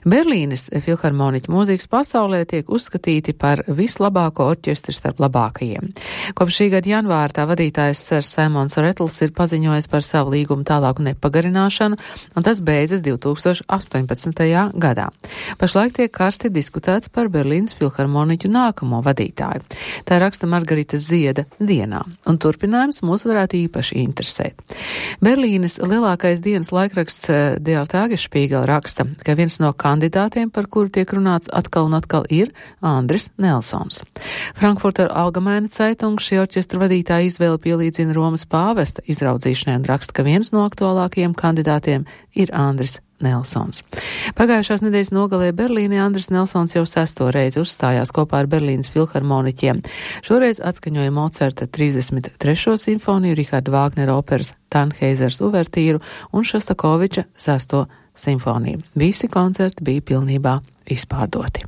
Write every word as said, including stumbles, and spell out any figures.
Berlīnes filharmoniķi mūzikas pasaulē tiek uzskatīti par vislabāko orķestri starp labākajiem. Kopš šī gada janvāra tā vadītājs Sers Saimons Retls ir paziņojis par savu līgumu tālāku nepagarināšanu, un tas beidzas divi tūkstoši astoņpadsmitajā gadā. Pašlaik tiek karsti diskutēts par Berlīnes filharmoniķu nākamo vadītāju. Tā raksta Margarita Zieda dienā, un turpinājums mūs varētu īpaši interesēt. Berlīnes lielākais dienas laikraksts Der Tagesspiegel raksta, ka viens no kandidātiem, par kuru tiek runāts atkal un atkal, ir Andris Nelsons. Frankfurter Allgemeine Zeitung šī orķestra vadītāja izvēle pielīdzina Romas pāvesta izraudzīšanai un raksta, ka viens no aktuālākajiem kandidātiem ir Andris Nelsons. Pagājušās nedēļas nogalē Berlīnē Andris Nelsons jau sesto reizi uzstājās kopā ar Berlīnes filharmoniķiem. Šoreiz atskaņoja Mocarta trīsdesmit trešo simfoniju, Richarda Vāgnera operas Tannhēzers uvertīru un Šostakoviča sesto simfoniju. Visi koncerti bija pilnībā izpārdoti.